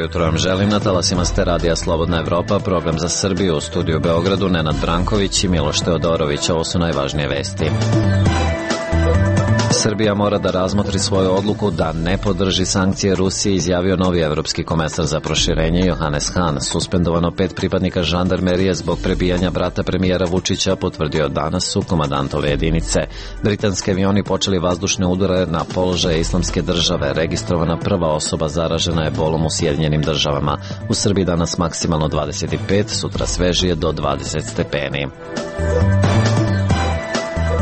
Jutro vam želim, na talasima ste radija Slobodna Evropa, program za Srbiju, u studiju u Beogradu Nenad Branković i Miloš Teodorović. Ovo su najvažnije vesti. Srbija mora da razmotri svoju odluku da ne podrži sankcije Rusije, izjavio novi evropski komesar za proširenje Johannes Hahn. Suspendovano 5 pripadnika žandarmerije zbog prebijanja brata premijera Vučića, potvrdio danas su komandantove jedinice. Britanski avioni počeli vazdušne udare na položaje Islamske države. Registrovana prva osoba zaražena ebolom u Sjedinjenim državama. U Srbiji danas maksimalno 25, sutra svežije do 20 stepeni.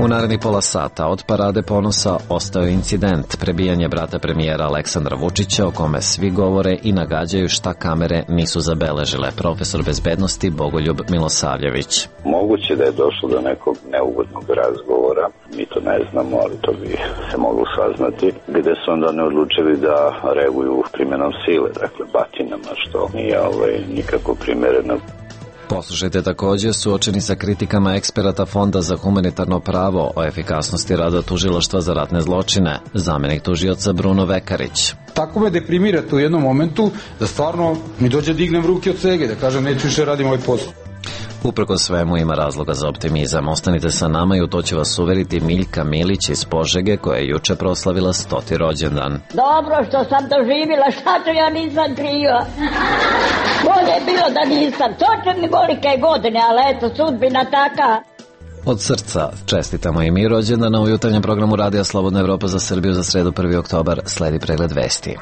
U narednih pola sata od Parade ponosa ostao je incident, prebijanje brata premijera Aleksandra Vučića, o kome svi govore i nagađaju šta kamere nisu zabeležile. Profesor bezbednosti Bogoljub Milosavljević. Moguće da je došlo do nekog neugodnog razgovora, mi to ne znamo, ali to bi se moglo saznati, gde su onda ne odlučili da reaguju primjenom sile, dakle batinama, što nije nikako primereno. Poslušajte također, suočeni sa kritikama eksperata Fonda za humanitarno pravo o efikasnosti rada tužilaštva za ratne zločine, zamenik tužioca Bruno Vekarić. Tako me deprimirate u jednom momentu da stvarno mi dođe dignem ruke od cege, da kažem neću više radim ovaj posao. Uprkos svemu ima razloga za optimizam. Ostanite sa nama i u to će vas uveriti Miljka Milić iz Požege, koja je juče proslavila 100. rođendan. Dobro što sam doživjela, šta ću ja nisam kriva. Bolje je bilo da nisam. To će mi velike godine, ali eto, sudbina taka. Od srca čestitamo i mi rođendana. U jutarnjem programu Radija Slobodna Evropa za Srbiju za sredu 1. oktobar sledi pregled vesti.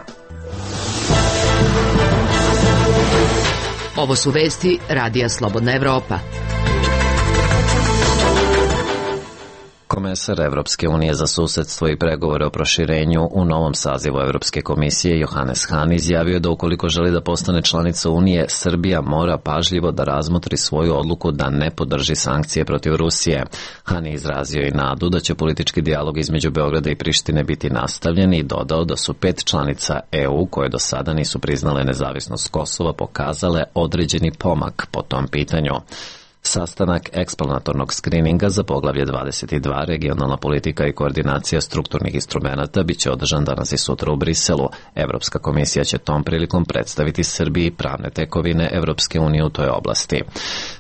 Ovo su vesti Radija Slobodna Evropa. Komesar Evropske unije za susedstvo i pregovore o proširenju u novom sazivu Evropske komisije Johannes Hahn izjavio da ukoliko želi da postane članica Unije, Srbija mora pažljivo da razmotri svoju odluku da ne podrži sankcije protiv Rusije. Hahn je izrazio i nadu da će politički dijalog između Beograda i Prištine biti nastavljen i dodao da su 5 članica EU koje do sada nisu priznale nezavisnost Kosova pokazale određeni pomak po tom pitanju. Sastanak eksplanatornog skrininga za poglavlje 22, regionalna politika i koordinacija strukturnih instrumenata, bit će održan danas i sutra u Briselu. Evropska komisija će tom prilikom predstaviti Srbiji pravne tekovine Evropske unije u toj oblasti.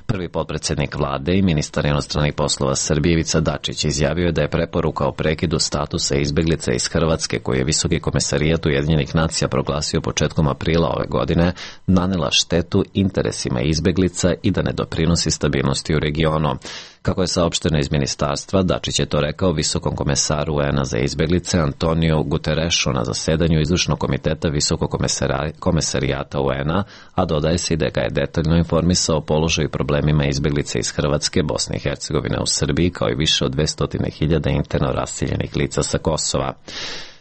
Prvi potpredsjednik vlade i ministar inostranih poslova Srbije Ivica Dačić izjavio da je preporuka o prekidu statusa izbeglica iz Hrvatske, koji je Visoki komesarijat Ujedinjenih nacija proglasio početkom aprila ove godine, nanela štetu interesima izbeglica i da ne doprinosi stabilnosti u regionu. Kako je saopšteno iz ministarstva, Dačić je to rekao visokom komesaru UN-a za izbeglice Antoniju Guterešu na zasedanju izvršnog komiteta Visokog komesarijata UN-a, a dodaje se i da ga je detaljno informisao o položaju i problemima izbeglice iz Hrvatske, Bosne i Hercegovine u Srbiji, kao i više od 200.000 interno raseljenih lica sa Kosova.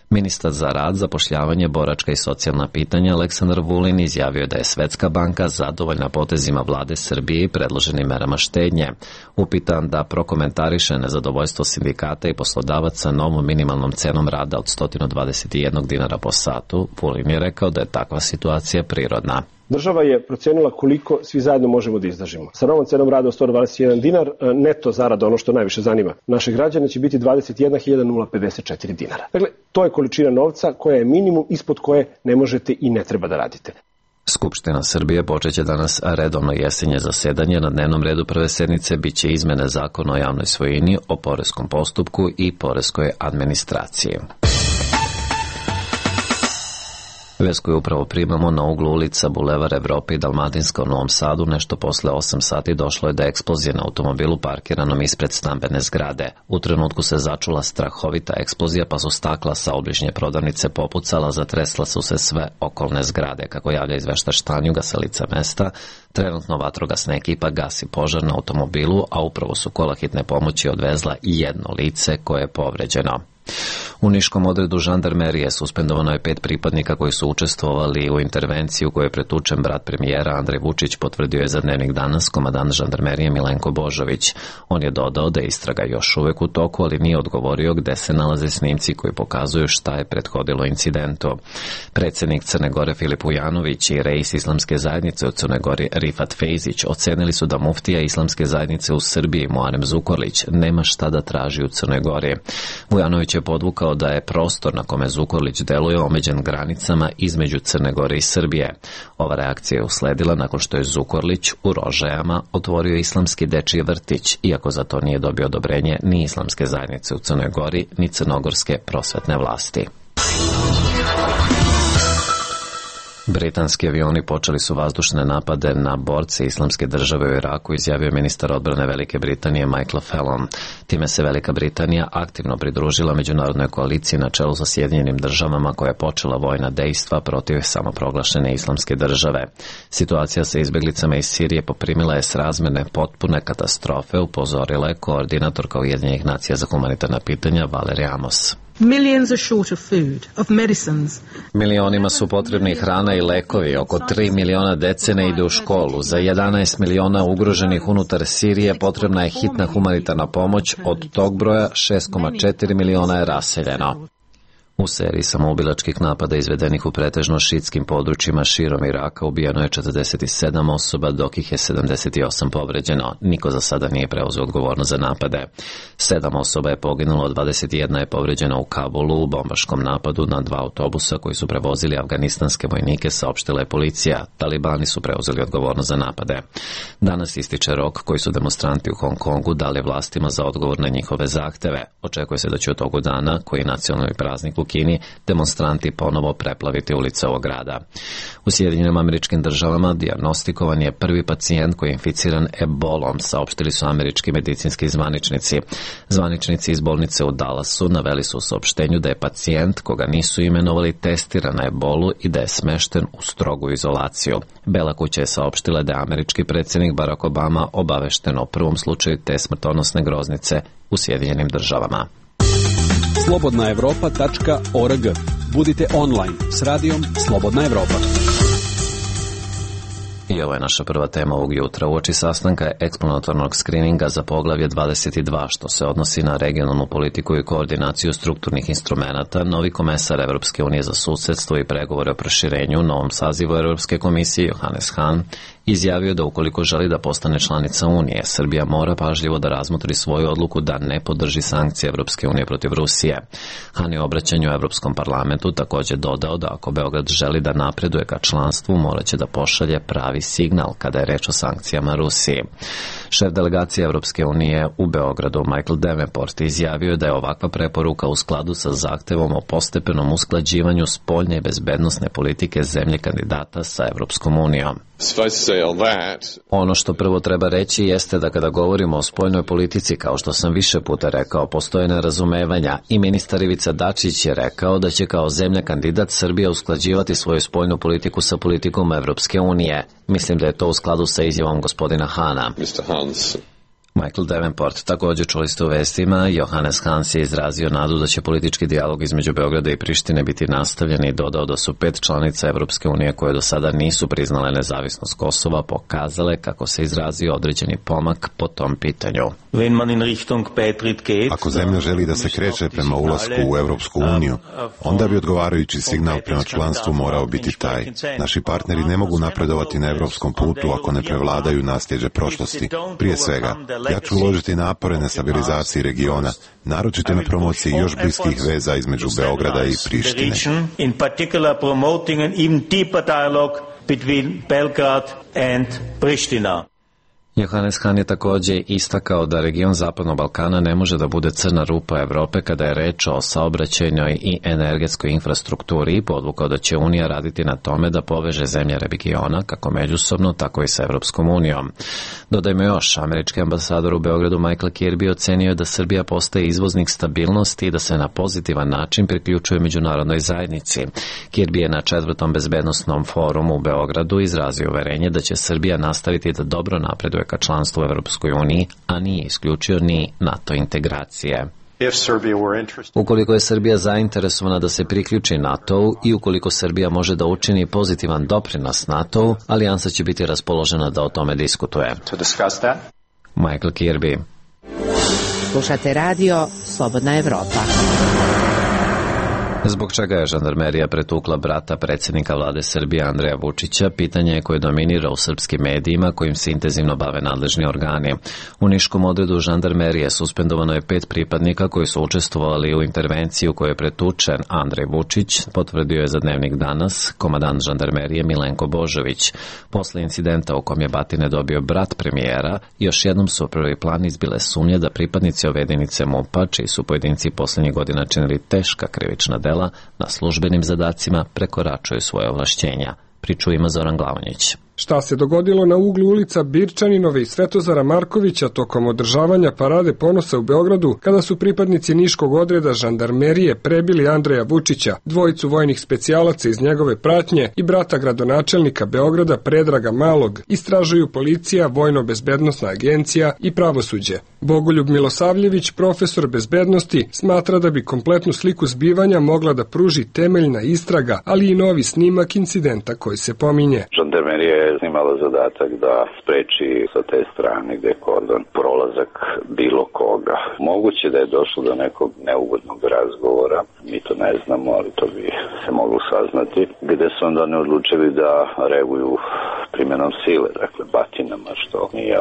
Ministar za rad, zapošljavanje, boračka i socijalna pitanja Aleksandar Vulin izjavio da je Svetska banka zadovoljna potezima vlade Srbije i predloženim merama štednje. Upitan da prokomentariše nezadovoljstvo sindikata i poslodavaca novom minimalnom cenom rada od 121 dinara po satu, Vulin je rekao da je takva situacija prirodna. Država je procenila koliko svi zajedno možemo da izdržimo. Sa novom cenom rada od 121 dinar, neto zarada, ono što najviše zanima naše građane, će biti 21.054 dinara. Dakle, to je količina novca koja je minimum ispod koje ne možete i ne treba da radite. Skupština Srbije počeće danas redovno jesenje zasedanje. Na dnevnom redu prve sednice biće izmene zakona o javnoj svojini, o poreskom postupku i poreskoj administraciji. Vest koju upravo primamo na uglu ulica Bulevar Evrope i Dalmatinska u Novom Sadu, nešto posle 8 sati došlo je do eksplozije na automobilu parkiranom ispred stambene zgrade. U trenutku se začula strahovita eksplozija, pa su stakla sa obližnje prodavnice popucala, zatresla su se sve okolne zgrade. Kako javlja izveštač Tanjuga sa lica mesta, trenutno vatrogasna ekipa gasi požar na automobilu, a upravo su kola hitne pomoći odvezla i jedno lice koje je povređeno. U niškom odredu žandarmerije suspendovano je 5 pripadnika koji su učestvovali u intervenciji u kojoj je pretučen brat premijera Andrej Vučić, potvrdio je za Dnevnik danas komandant žandarmerije Milenko Božović. On je dodao da je istraga još uvek u toku, ali nije odgovorio gde se nalaze snimci koji pokazuju šta je prethodilo incidentu. Predsednik Crne Gore Filip Vujanović i reis Islamske zajednice u Crnoj Gori Rifat Fejzić ocenili su da muftija Islamske zajednice u Srbiji Muarem Zukorlić nema šta da traži u Crnoj Gori. Vujanović je podvukao da je prostor na kome Zukorlić deluje omeđen granicama između Crne Gore i Srbije. Ova reakcija je usledila nakon što je Zukorlić u Rožajama otvorio islamski dečiji vrtić, iako za to nije dobio odobrenje ni Islamske zajednice u Crnoj Gori, ni crnogorske prosvetne vlasti. Britanski avioni počeli su vazdušne napade na borce Islamske države u Iraku, izjavio ministar odbrane Velike Britanije Michael Fallon. Time se Velika Britanija aktivno pridružila međunarodnoj koaliciji na čelu sa Sjedinjenim državama koja je počela vojna dejstva protiv samoproglašene Islamske države. Situacija sa izbeglicama iz Sirije poprimila je srazmerne potpune katastrofe, upozorila je koordinatorka Ujedinjenih nacija za humanitarna pitanja Valerie Amos. Millions are short of food, of medicines. Milionima su potrebni hrana i lekovi, oko 3 miliona dece ne ide u školu, za 11 miliona ugroženih unutar Sirije potrebna je hitna humanitarna pomoć, od tog broja 6,4 miliona je raseljeno. U seriji samoubilačkih napada izvedenih u pretežno šiitskim područjima širom Iraka ubijeno je 47 osoba, dok ih je 78 povređeno. Niko za sada nije preuzeo odgovornost za napade. 7 osoba je poginulo, 21 je povređena u Kabulu u bombaškom napadu na 2 autobusa koji su prevozili afganistanske vojnike, saopštila je policija. Talibani su preuzeli odgovornost za napade. Danas ističe rok koji su demonstranti u Hong Kongu dali vlastima za odgovor na njihove zahteve. Očekuje se da će u toku dana, koji je nacionalni praznik u Kini, demonstranti ponovo preplaviti ulice ovog grada. U Sjedinjenim Američkim Državama dijagnostikovan je prvi pacijent koji je inficiran ebolom, saopštili su američki medicinski zvaničnici. Zvaničnici iz bolnice u Dallasu naveli su u saopštenju da je pacijent, koga nisu imenovali, testiran na ebolu i da je smešten u strogu izolaciju. Bela kuća je saopštila da je američki predsjednik Barack Obama obavešten o prvom slučaju te smrtonosne groznice u Sjedinjenim Državama. slobodnaevropa.org. Budite online s radijom Slobodna Evropa. I ovo je naša prva tema ovog jutra. Uoči sastanka eksplanatornog skrininga za poglavlje 22, što se odnosi na regionalnu politiku i koordinaciju strukturnih instrumenata, novi komesar Evropske unije za susedstvo i pregovore o proširenju u novom sazivu Evropske komisije Johannes Hahn izjavio da ukoliko želi da postane članica Unije, Srbija mora pažljivo da razmotri svoju odluku da ne podrži sankcije Evropske unije protiv Rusije. Hahn je u obraćanju Evropskom parlamentu također dodao da ako Beograd želi da napreduje ka članstvu, moraće da pošalje pravi signal kada je reč o sankcijama Rusiji. Šef delegacije Evropske unije u Beogradu Michael Davenport izjavio da je ovakva preporuka u skladu sa zahtevom o postepenom usklađivanju spoljne i bezbednosne politike zemlje kandidata sa Evropskom unijom. Ono što prvo treba reći jeste da kada govorimo o spoljnoj politici, kao što sam više puta rekao, postoje nerazumevanja i ministar Ivica Dačić je rekao da će kao zemlja kandidat Srbija usklađivati svoju spoljnu politiku sa politikom Evropske unije. Mislim da je to u skladu sa izjavom gospodina Hahna. Michael Davenport, također čuli ste u vestima, Johannes Hahn je izrazio nadu da će politički dijalog između Beograda i Prištine biti nastavljen i dodao da su 5 članica Evropske unije koje do sada nisu priznale nezavisnost Kosova pokazale, kako se izrazio, određeni pomak po tom pitanju. Ako zemlja želi da se kreće prema ulasku u Evropsku uniju, onda bi odgovarajući signal prema članstvu morao biti taj. Naši partneri ne mogu napredovati na evropskom putu ako ne prevladaju nasljeđe prošlosti. Prije svega, ja ću uložiti napore na stabilizaciji regiona, naročito na promociji još bliskih veza između Beograda i Prištine. In particular promoting an even deeper dialogue between Belgrade and Pristina. Johannes Hahn je također istakao da region Zapadnog Balkana ne može da bude crna rupa Evrope kada je reč o saobraćajnoj i energetskoj infrastrukturi i podvukao da će Unija raditi na tome da poveže zemlje regiona kako međusobno, tako i sa Evropskom unijom. Dodajmo još, američki ambasador u Beogradu Michael Kirby ocenio je da Srbija postaje izvoznik stabilnosti i da se na pozitivan način priključuje međunarodnoj zajednici. Kirby je na 4. bezbednosnom forumu u Beogradu izrazio uverenje da će Srbija nastaviti da dobro napreduje ka članstvu u Evropskoj uniji, a nije isključio ni NATO integracije. Ukoliko je Srbija zainteresovana da se priključi NATO-u i ukoliko Srbija može da učini pozitivan doprinos NATO-u, alijansa će biti raspoložena da o tome diskutuje. Michael Kirby. Slušate radio Slobodna Evropa. Zbog čega je žandarmerija pretukla brata predsjednika vlade Srbije Andreja Vučića, pitanje je koje dominira u srpskim medijima kojim se intenzivno bave nadležni organi. U niškom odredu žandarmerije suspendovano je 5 pripadnika koji su učestvovali u intervenciji u kojoj je pretučen Andrej Vučić, potvrdio je za Dnevnik Danas komandant žandarmerije Milenko Božović. Posle incidenta u kom je batine dobio brat premijera, još jednom su u prvi plan izbile sumnje da pripadnici ove jedinice MUP-a, čiji su pojedinci poslednjih godina činili teška krivična dela, na službenim zadacima prekoračuju svoje ovlašćenja. Priču ima Zoran Glavonjić. Šta se dogodilo na uglu ulica Birčaninove i Svetozara Markovića tokom održavanja Parade ponosa u Beogradu, kada su pripadnici niškog odreda žandarmerije prebili Andreja Vučića, dvojicu vojnih specijalaca iz njegove pratnje i brata gradonačelnika Beograda Predraga Malog, istražuju policija, vojno-bezbednosna agencija i pravosuđe. Bogoljub Milosavljević, profesor bezbednosti, smatra da bi kompletnu sliku zbivanja mogla da pruži temeljna istraga, ali i novi snimak incidenta koji se pominje. Žandarmerija je imala zadatak da spreči sa te strane gde je kordon prolazak bilo koga. Moguće da je došlo do nekog neugodnog razgovora, mi to ne znamo, ali to bi se moglo saznati, gde su onda ne odlučili da reaguju primjenom sile, dakle batinama, što nije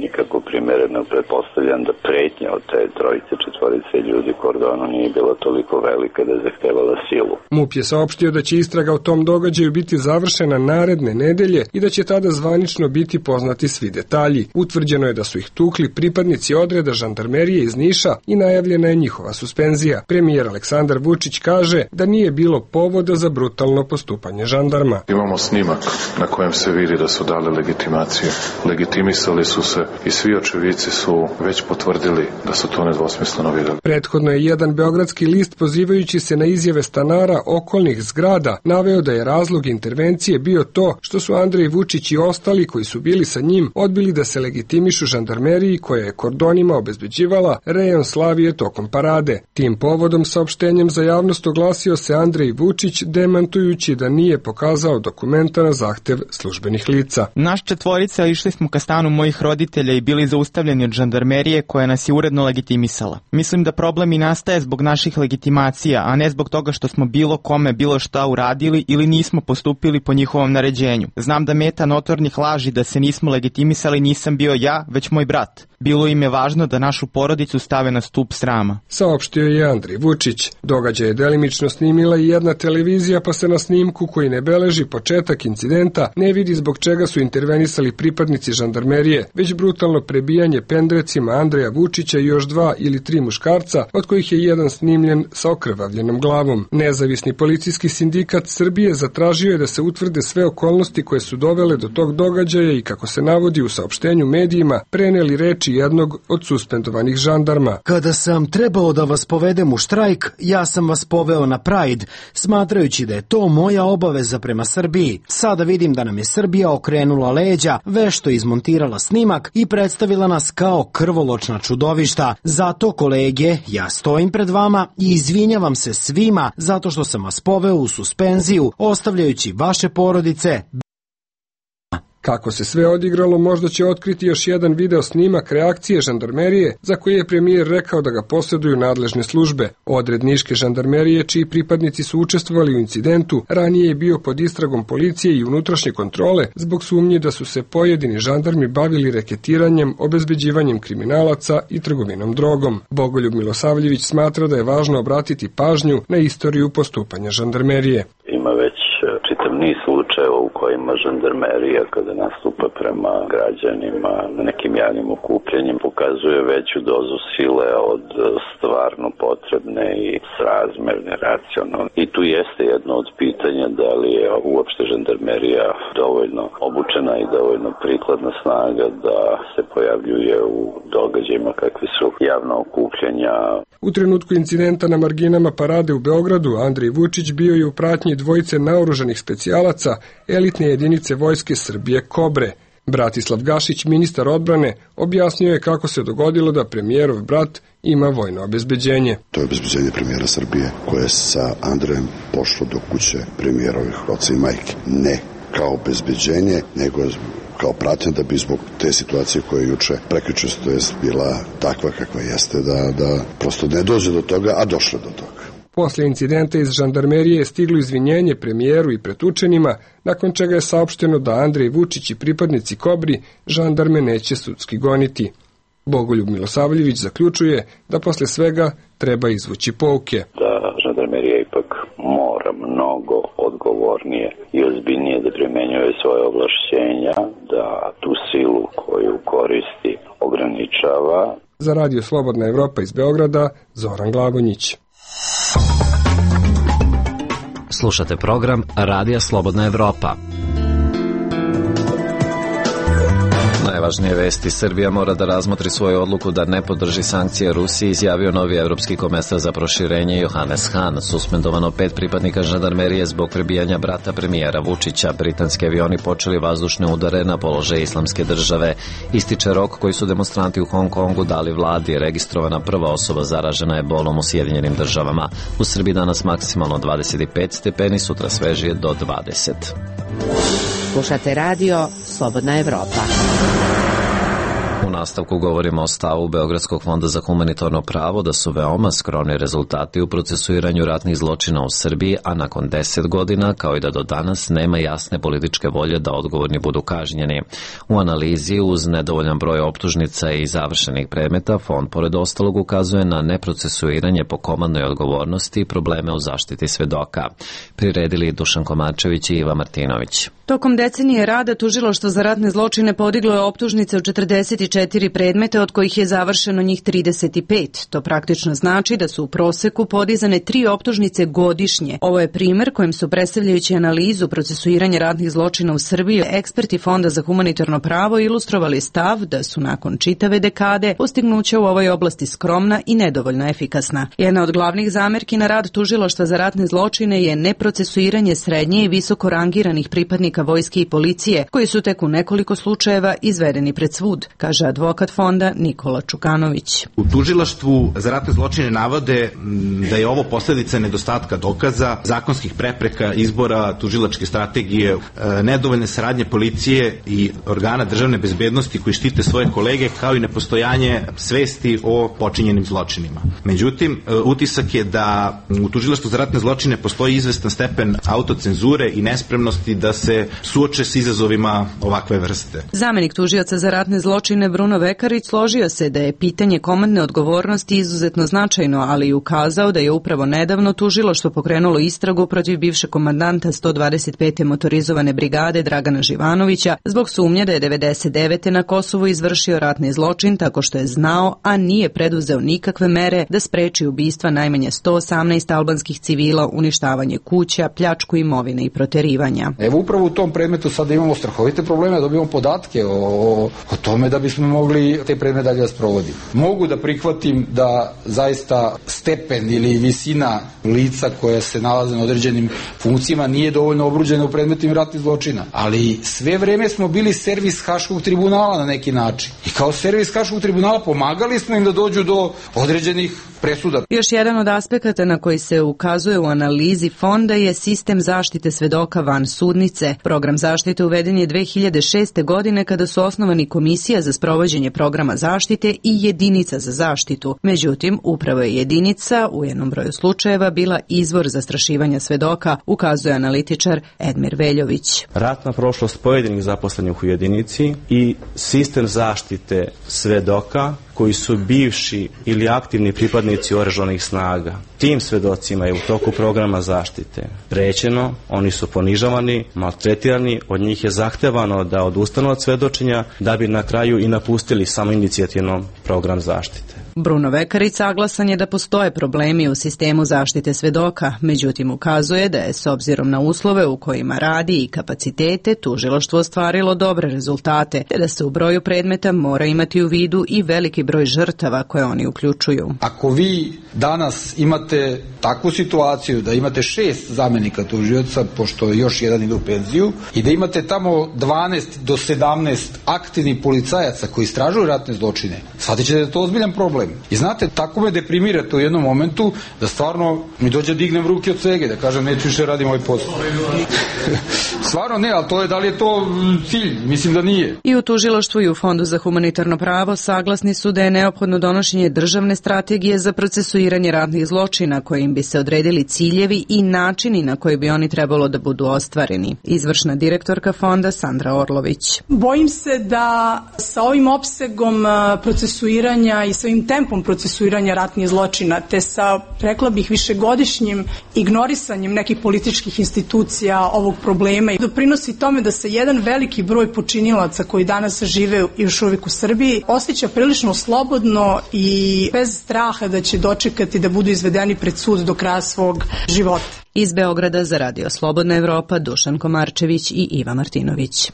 nikako primereno. Pretpostavljam da pretnja od te trojice, četvorice ljudi kordonu nije bila toliko velika da je zahtevala silu. MUP je saopštio da će istraga o tom događaju biti završena naredne nedelje i da će tada zvanično biti poznati svi detalji. Utvrđeno je da su ih tukli pripadnici odreda žandarmerije iz Niša i najavljena je njihova suspenzija. Premijer Aleksandar Vučić kaže da nije bilo povoda za brutalno postupanje žandarma. Imamo snimak na kojem se vidi da su dali legitimacije. Legitimisali su se i svi očevici su već potvrdili da su to nedvosmisleno videli. Prethodno je jedan beogradski list, pozivajući se na izjave stanara okolnih zgrada, naveo da je razlog intervencije bio to što su Andrej Vučić i ostali koji su bili sa njim odbili da se legitimišu žandarmeriji koja je kordonima obezbeđivala rejon Slavije tokom parade. Tim povodom saopštenjem za javnost oglasio se Andrej Vučić, demantujući da nije pokazao dokumenta na zahtev službenih lica. Naš četvorica išli smo ka stanu mojih roditelja i bili zaustavljeni od žandarmerije koja nas je uredno legitimisala. Mislim da problem i nastaje zbog naših legitimacija, a ne zbog toga što smo bilo kome bilo šta uradili ili nismo postupili po njihovom naređenju. Znam da meta notornih laži da se nismo legitimisali nisam bio ja, već moj brat. Bilo im je važno da našu porodicu stave na stup srama. Saopštio je Andrej Vučić. Događaj je delimično snimila i jedna televizija, pa se na snimku koji ne beleži početak incidenta ne vidi zbog čega su intervenisali pripadnici žandarmerije, već brutalno prebijanje pendrecima Andreja Vučića i još 2 ili 3 muškarca, od kojih je jedan snimljen sa okrvavljenom glavom. Nezavisni policijski sindikat Srbije zatražio je da se utvrde sve okolnosti koje su dovele do tog događaja i, kako se navodi u saopštenju medijima, preneli reči jednog od suspendovanih žandarma. Kada sam trebao da vas povedem u štrajk, ja sam vas poveo na Pride, smatrajući da je to moja obaveza prema Srbiji. Sada vidim da nam je Srbija okrenula leđa, vešto izmontirala snimak i predstavila nas kao krvoločna čudovišta. Zato, kolege, ja stojim pred vama i izvinjavam se svima zato što sam vas poveo u suspenziju, ostavljajući vaše porodice. Kako se sve odigralo, možda će otkriti još jedan video snimak reakcije žandarmerije, za koji je premijer rekao da ga posjeduju nadležne službe. Odred niške žandarmerije, čiji pripadnici su učestvovali u incidentu, ranije je bio pod istragom policije i unutrašnje kontrole zbog sumnje da su se pojedini žandarmi bavili reketiranjem, obezbeđivanjem kriminalaca i trgovinom drogom. Bogoljub Milosavljević smatra da je važno obratiti pažnju na istoriju postupanja žandarmerije. Ima već čitav niz slučajeva u kojima žandarmerija, kada nastupa prema građanima na nekim javnim okupljanjem, pokazuje veću dozu sile od stvarno potrebne i srazmerne, racionalne. I tu jeste jedno od pitanja da li je uopšte žandarmerija dovoljno obučena i dovoljno prikladna snaga da se pojavljuje u događajima kakvi su javna okupljanja. U trenutku incidenta na marginama parade u Beogradu, Andrej Vučić bio je u pratnji dvojice naoružanih specijalaca elitne jedinice vojske Srbije Kobre. Bratislav Gašić, ministar odbrane, objasnio je kako se dogodilo da premijerov brat ima vojno obezbeđenje. To je obezbeđenje premijera Srbije koje je sa Andrejem pošlo do kuće premijerovih oca i majke. Ne kao obezbeđenje, nego kao pratnja da bi zbog te situacije koja je juče prekjuče bila takva kakva jeste da prosto ne dođe do toga, a došlo do toga. Posle incidenta iz žandarmerije je stiglo izvinjenje premijeru i pretučenima, nakon čega je saopšteno da Andrej Vučić i pripadnici Kobri žandarme neće sudski goniti. Bogoljub Milosavljević zaključuje da posle svega treba izvući pouke. Da žandarmerija ipak mora mnogo odgovornije i ozbiljnije da primenjuje svoje ovlašćenja, da tu silu koju koristi ograničava. Za Radio Slobodna Evropa iz Beograda, Zoran Glagonjić. Slušate program Radija Slobodna Evropa. Najvažnije vesti: Srbija mora da razmotri svoju odluku da ne podrži sankcije Rusiji, izjavio novi evropski komesar za proširenje Johannes Hahn. Suspendovano 5 pripadnika žandarmerije zbog prebijanja brata premijera Vučića. Britanski avioni počeli vazdušne udare na položaj Islamske države. Ističe rok koji su demonstranti u Hong Kongu dali vladi. Registrovana prva osoba zaražena ebolom u Sjedinjenim državama. U Srbiji danas maksimalno 25 stepeni, sutra svežije do 20. Slušate radio Slobodna Evropa. U nastavku govorimo o stavu Beogradskog fonda za humanitarno pravo da su veoma skromni rezultati u procesuiranju ratnih zločina u Srbiji, a nakon 10 godina, kao i da do danas, nema jasne političke volje da odgovorni budu kažnjeni. U analizi, uz nedovoljan broj optužnica i završenih predmeta, fond pored ostalog ukazuje na neprocesuiranje po komandnoj odgovornosti i probleme u zaštiti svedoka. Priredili Dušan Komačević i Iva Martinović. Tokom decenije rada Tužilaštvo za ratne zločine podiglo je optužnice u 44 predmeta, od kojih je završeno njih 35. To praktično znači da su u proseku podizane 3 optužnice godišnje. Ovo je primer kojim su, predstavljajući analizu procesuiranja ratnih zločina u Srbiji, eksperti Fonda za humanitarno pravo ilustrovali stav da su nakon čitave dekade postignuća u ovoj oblasti skromna i nedovoljno efikasna. Jedna od glavnih zamerki na rad Tužilaštva za ratne zločine je neprocesuiranje srednje i visoko rangiranih pripadnika vojske i policije, koji su tek u nekoliko slučajeva izvedeni pred sud, kaže advokat fonda Nikola Čukanović. U Tužilaštvu za ratne zločine navode da je ovo posljedica nedostatka dokaza, zakonskih prepreka, izbora tužilačke strategije, nedovoljne saradnje policije i organa državne bezbednosti koji štite svoje kolege, kao i nepostojanje svesti o počinjenim zločinima. Međutim, utisak je da u Tužilaštvu za ratne zločine postoji izvestan stepen autocenzure i nespremnosti da se suoče s izazovima ovakve vrste. Zamenik tužioca za ratne zločine Bruno Vekarić složio se da je pitanje komandne odgovornosti izuzetno značajno, ali i ukazao da je upravo nedavno tužilaštvo pokrenulo istragu protiv bivšeg komandanta 125. motorizovane brigade Dragana Živanovića zbog sumnje da je 99. na Kosovu izvršio ratni zločin tako što je znao, a nije preduzeo nikakve mere da spreči ubistva najmanje 118 albanskih civila, uništavanje kuća, pljačku imovine i proterivanja. Evo upravo u tom predmetu sada imamo strahovite probleme, dobijamo podatke o tome da bismo mogli te predmete dalje da sprovodimo. Mogu da prihvatim da zaista stepen ili visina lica koja se nalaze na određenim funkcijama nije dovoljno obruđena u predmetima ratnih zločina, ali sve vreme smo bili servis Haškog tribunala na neki način. I kao servis Haškog tribunala pomagali smo im da dođu do određenih presuda. Još jedan od aspekata na koji se ukazuje u analizi fonda je sistem zaštite svedoka van sudnice. Program zaštite uveden je 2006. godine kada su osnovani Komisija za sprovođenje programa zaštite i Jedinica za zaštitu. Međutim, upravo je jedinica u jednom broju slučajeva bila izvor zastrašivanja svedoka, ukazuje analitičar Edmir Veljović. Ratna prošlost pojedinih zaposlenih u jedinici i sistem zaštite svedoka koji su bivši ili aktivni pripadnici oružanih snaga. Tim svedocima je u toku programa zaštite prećeno, oni su ponižavani, maltretirani, od njih je zahtevano da odustanu od svedočenja da bi na kraju i napustili samoinicijativno program zaštite. Bruno Vekarić saglasan je da postoje problemi u sistemu zaštite svedoka, međutim ukazuje da je s obzirom na uslove u kojima radi i kapacitete tužilaštvo ostvarilo dobre rezultate, te da se u broju predmeta mora imati u vidu i veliki broj žrtava koje oni uključuju. Ako vi danas imate imate takvu situaciju da imate 6 zamenika tužioca, pošto još jedan ide u penziju, i da imate tamo 12 do 17 aktivnih policajaca koji istražuju ratne zločine, shvatit ćete da je to ozbiljan problem. I znate, tako me deprimirate u jednom momentu da stvarno mi dođe dignem ruke od svega, da kažem neću više radim ovaj posao. Stvarno ne, ali to je, da li je to cilj? Mislim da nije. I u tužilaštvu i u Fondu za humanitarno pravo saglasni su da je neophodno donošenje državne strategije za procesuiranje ratnih zločina kojim bi se odredili ciljevi i načini na koji bi oni trebalo da budu ostvareni. Izvršna direktorka fonda Sandra Orlović. Bojim se da sa ovim opsegom procesuiranja i sa ovim tempom procesuiranja ratnih zločina, te sa, rekla bih, višegodišnjim ignorisanjem nekih političkih institucija ovog problema i doprinosi tome da se jedan veliki broj počinilaca koji danas žive još uvijek u Srbiji osjeća prilično slobodno i bez straha da će dočekati da budu izvedeni pred sud do kraja svog života. Iz Beograda za Radio Slobodna Evropa Dušan Komarčević i Iva Martinović.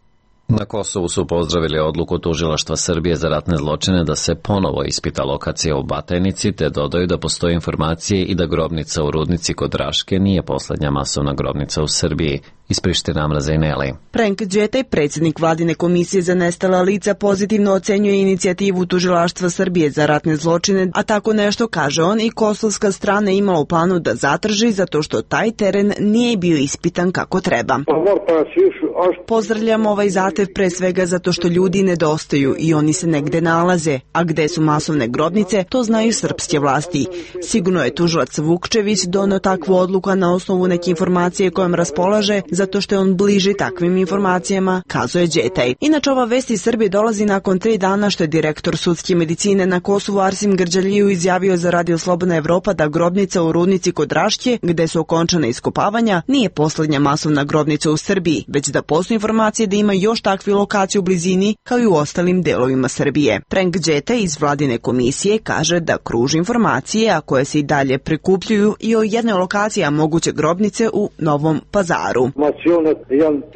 Na Kosovu su pozdravili odluku Tužilaštva Srbije za ratne zločine da se ponovo ispita lokacija u Batajnici, te dodaju da postoje informacije i da grobnica u Rudnici kod Raške nije poslednja masovna grobnica u Srbiji. Iz Prištine Amra Zajneli. Frank Đetaj, predsjednik Vladine komisije za nestala lica, pozitivno ocenjuje inicijativu Tužilaštva Srbije za ratne zločine, a tako nešto, kaže on, i kosovska strana ima u planu da zatraži zato što taj teren nije bio ispitan kako treba. Pozdravljam ovaj zahtev pre svega zato što ljudi nedostaju i oni se negde nalaze, a gde su masovne grobnice, to znaju srpske vlasti. Sigurno je tužilac Vukčević doneo takvu odluku na osnovu neke informacije kojom raspolaže, zato što je on bliži takvim informacijama, kazuje Đetaj. Inače, ova vest iz Srbije dolazi nakon 3 dana što je direktor sudske medicine na Kosovu Arsim Grđaliju izjavio za Radio Slobodna Evropa da grobnica u Rudnici kod Raške, gde su okončana iskopavanja, nije poslednja masovna grobnica u Srbiji, već da postoje informacije da ima još takvi lokacije u blizini, kao i u ostalim delovima Srbije. Frank Đetaj iz Vladine komisije kaže da kruži informacije, a koje se i dalje prikupljuju, i o jednoj lokaciji moguće grobnice u Novom Pazaru.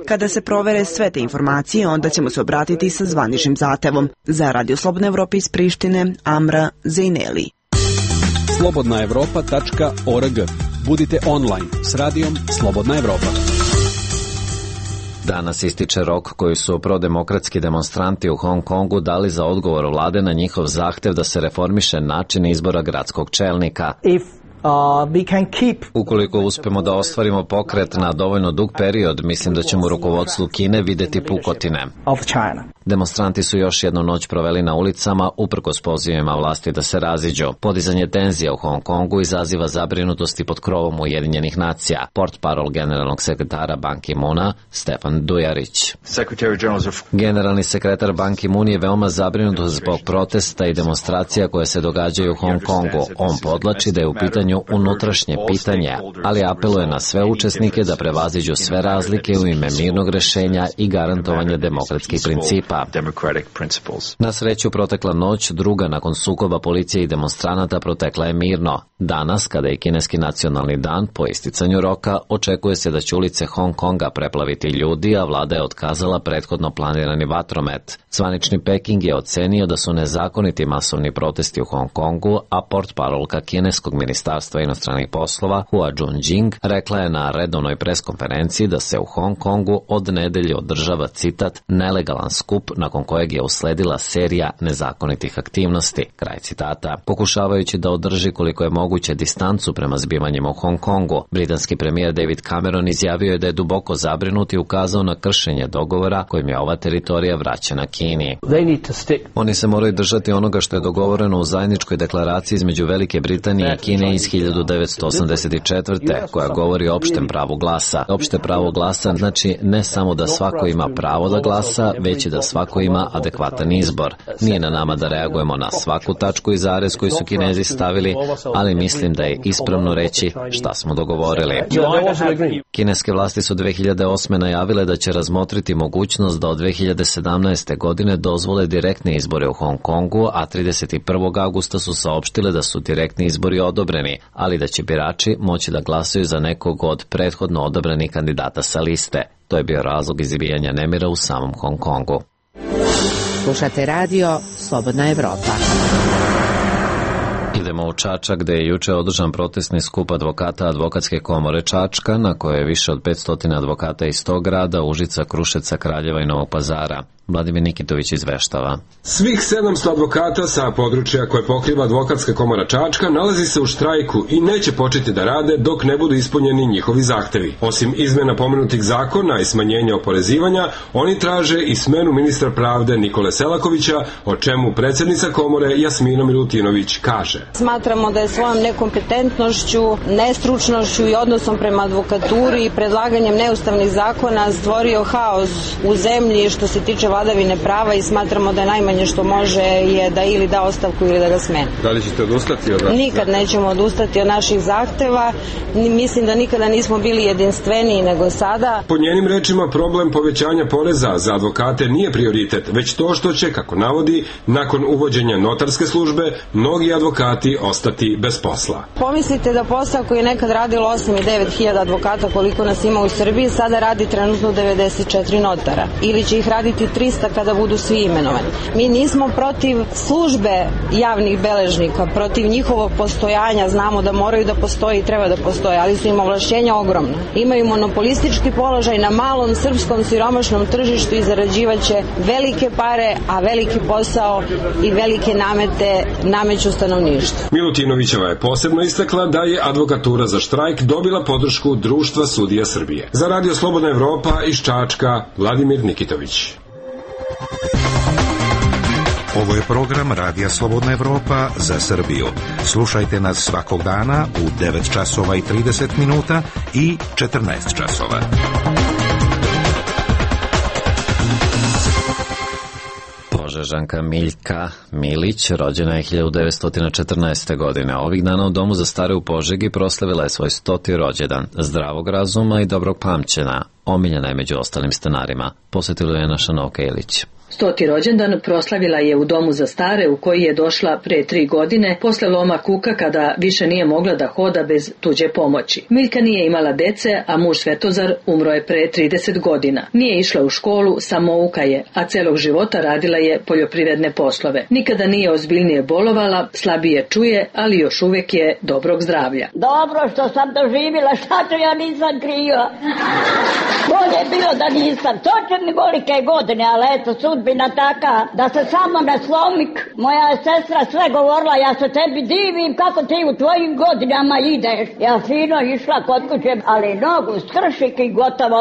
Kada se provere sve te informacije, onda ćemo se obratiti sa zvaničnim zahtevom. Za Radio Slobodna Evropa iz Prištine, Amra Zajneli. slobodnaevropa.org. Budite online s radijom Slobodna Evropa. Danas ističe rok koji su prodemokratski demonstranti u Hong Kongu dali za odgovor vlade na njihov zahtev da se reformiše način izbora gradskog čelnika. Ukoliko uspemo da ostvarimo pokret na dovoljno dug period, mislim da ćemo u rukovodstvu Kine videti pukotine. Demonstranti su još jednu noć proveli na ulicama uprkos pozivima vlasti da se raziđu. Podizanje tenzija u Hong Kongu izaziva zabrinutosti pod krovom Ujedinjenih nacija. Portparol generalnog sekretara Ban Ki-moona Stefan Dujarić. Generalni sekretar Ban Ki-moon je veoma zabrinut zbog protesta i demonstracija koje se događaju u Hong Kongu. On podlači da je u pitanju unutrašnje pitanje, ali apeluje na sve učesnike da prevaziđu sve razlike u ime mirnog rešenja i garantovanja demokratskih principa. Na sreću, protekla noć, druga nakon sukoba policije i demonstranata, protekla je mirno. Danas, kada je kineski nacionalni dan, po isticanju roka, očekuje se da će ulice Hong Konga preplaviti ljudi, a vlada je otkazala prethodno planirani vatromet. Zvanični Peking je ocenio da su nezakoniti masovni protesti u Hong Kongu, a portparolka kineskog ministarstva inostranih poslova Hua Junjing rekla je na redovnoj preskonferenciji da se u Hong Kongu od nedelje održava, citat, nelegalan skup nakon kojeg je usledila serija nezakonitih aktivnosti, kraj citata. Pokušavajući da održi koliko je moguće distancu prema zbivanjima u Hong Kongu, britanski premijer David Cameron izjavio je da je duboko zabrinut i ukazao na kršenje dogovora kojim je ova teritorija vraćena Kini. Oni se moraju držati onoga što je dogovoreno u zajedničkoj deklaraciji između Velike Britanije i Kine iz 1984. koja govori o opštem pravu glasa. Opšte pravo glasa znači ne samo da svako ima pravo da glasa, već i da svako ima adekvatan izbor. Nije na nama da reagujemo na svaku tačku i zarez koji su Kinezi stavili, ali mislim da je ispravno reći šta smo dogovorili. Kineske vlasti su 2008. najavile da će razmotriti mogućnost da od 2017. godine dozvole direktne izbore u Hong Kongu, a 31. augusta su saopštile da su direktni izbori odobreni, ali da će birači moći da glasaju za nekog od prethodno odabranih kandidata sa liste. To je bio razlog izbijanja nemira u samom Hong Kongu. Slušate radio Slobodna Evropa. Idemo u Čačak, gde je juče održan protestni skup advokata Advokatske komore Čačka, na koje je više od 500 advokata iz tog grada, Užica, Kruševca, Kraljeva i Novog Pazara. Vladimir Nikitović izveštava. Svih 700 advokata sa područja koje pokriva Advokatska komora Čačka nalazi se u štrajku i neće početi da rade dok ne budu ispunjeni njihovi zahtevi. Osim izmena pomenutih zakona i smanjenja oporezivanja, oni traže i smenu ministra pravde Nikole Selakovića, o čemu predsjednica komore Jasmina Milutinović kaže. Smatramo da je svojom nekompetentnošću, nestručnošću i odnosom prema advokaturi i predlaganjem neustavnih zakona stvorio haos u zemlji što se tiče vladavine prava i smatramo da najmanje što može je da ili da ostavku ili da ga smeni. Da li ćete odustati od... Nikad nećemo odustati od naših zahteva. Mislim da nikada nismo bili jedinstveniji nego sada. Po njenim rečima, problem povećanja poreza za advokate nije prioritet, već to što će, kako navodi, nakon uvođenja notarske službe, mnogi advokati ostati bez posla. Pomislite da posao koji je nekad radilo 8 i 9 hiljada advokata, koliko nas ima u Srbiji, sada radi trenutno 94 notara. Ili će ih raditi 300 kada budu svi imenovani. Mi nismo protiv službe javnih beležnika, protiv njihovog postojanja, znamo da moraju da postoje i treba da postoje, ali su im ovlašćenja ogromna. Imaju monopolistički položaj na malom srpskom siromašnom tržištu i zarađivaće velike pare, a veliki posao i velike namete nameću stanovništvu. Milutinovićeva je posebno istakla da je advokatura za štrajk dobila podršku Društva sudija Srbije. Za Radio Slobodna Evropa iz Čačka, Vladimir Nikitović. Ovo je program Radija Slobodna Evropa za Srbiju. Slušajte nas svakog dana u 9 časova i 30 minuta i 14 časova. Požežanka Miljka Milić rođena je 1914. godine. Ovih dana u Domu za stare u Požegi proslavila je svoj 100. rođendan, zdravog razuma i dobrog pamćenja. Omiljena je među ostalim stanarima. Posjetila je naša Novka Ilić. 100. rođendan proslavila je u Domu za stare u koji je došla pre 3 godine posle loma kuka kada više nije mogla da hoda bez tuđe pomoći. Miljka nije imala dece, a muž Svetozar umro je pre 30 godina. Nije išla u školu, samouka je, a celog života radila je poljoprivredne poslove. Nikada nije ozbiljnije bolovala, slabije čuje, ali još uvek je dobrog zdravlja. Dobro što sam doživjela, šta to ja nisam kriva. Bolje je bilo da nisam. Točem mi golike godine, ali eto, sudbina taka, da se samo ne slomik. Moja je sestra sve govorila, ja se tebi divim kako ti u tvojim godinama ideš. Ja fino išla kod kuće, ali nogu skršik i gotovo.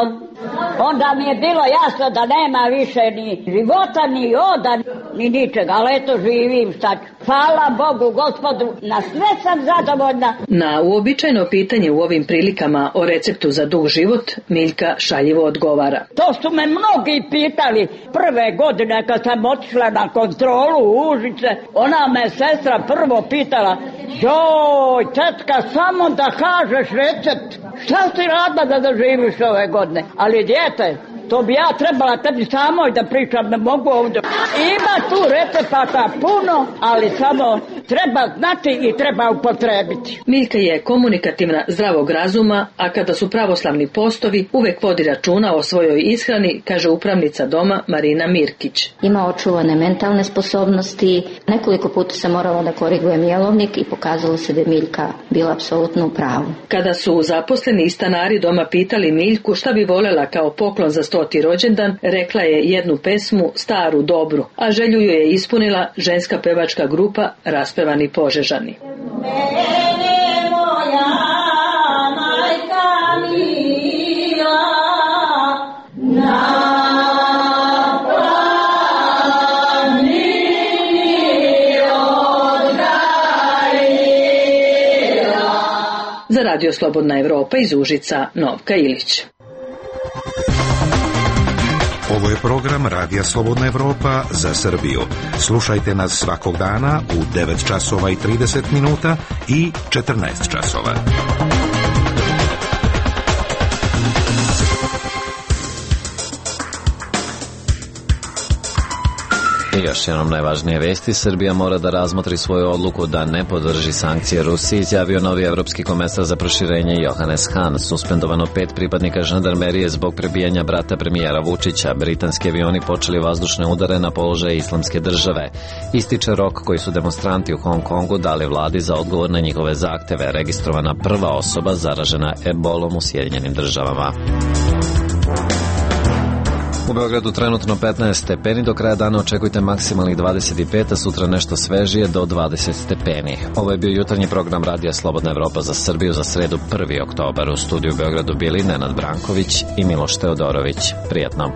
Onda mi je bilo jasno da nema više ni života, ni oda, ni ničega, ali eto živim, šta ću. Hvala Bogu, Gospodu, na sve sam zadovoljna. Na uobičajeno pitanje u ovim prilikama o receptu za dug život, Miljka šaljivo odgovara. To su me mnogi pitali prve godine kad sam otišla na kontrolu u Užice. Ona me sestra prvo pitala, joj, tetka, samo da kažeš recept. Šta si radila da doživiš ove godine? Ali djete, to bi ja trebala tebi samoj da pričam, ne mogu ovdje. Ima tu recepata puno, ali samo treba znati i treba upotrebiti. Miljka je komunikativna, zdravog razuma, a kada su pravoslavni postovi, uvek vodi računa o svojoj ishrani, kaže upravnica doma Marina Mirkić. Ima očuvane mentalne sposobnosti, nekoliko puta se morala da korigujem jelovnik i pokazalo se da je Miljka bila apsolutno u pravu. Kada su zaposleni i stanari doma pitali Miljku šta bi volela kao poklon za 100. rođendan, rekla je jednu pesmu, staru, dobru, a želju joj je ispunila ženska pevačka grupa Raspevani Požežani. Mene moja majka mila, na Za Radio Slobodna Evropa iz Užica, Novka Ilić. Ovo je program Radija Slobodna Evropa za Srbiju. Slušajte nas svakog dana u 9 časova i 30 minuta i 14 časova. I još jednom najvažnije vesti, Srbija mora da razmotri svoju odluku da ne podrži sankcije Rusiji, izjavio novi evropski komesar za proširenje Johannes Hahn. Suspendovano 5 pripadnika žandarmerije zbog prebijanja brata premijera Vučića. Britanski avioni počeli vazdušne udare na položaje Islamske države. Ističe rok koji su demonstranti u Hong Kongu dali vladi za odgovor na njihove zahteve. Registrovana prva osoba zaražena ebolom u Sjedinjenim državama. U Beogradu trenutno 15 stepeni, do kraja dana očekujte maksimalnih 25, a sutra nešto svežije do 20 stepeni. Ovo je bio jutarnji program Radija Slobodna Evropa za Srbiju za sredu 1. oktobar. U studiju u Beogradu bili Nenad Branković i Miloš Teodorović. Prijatno.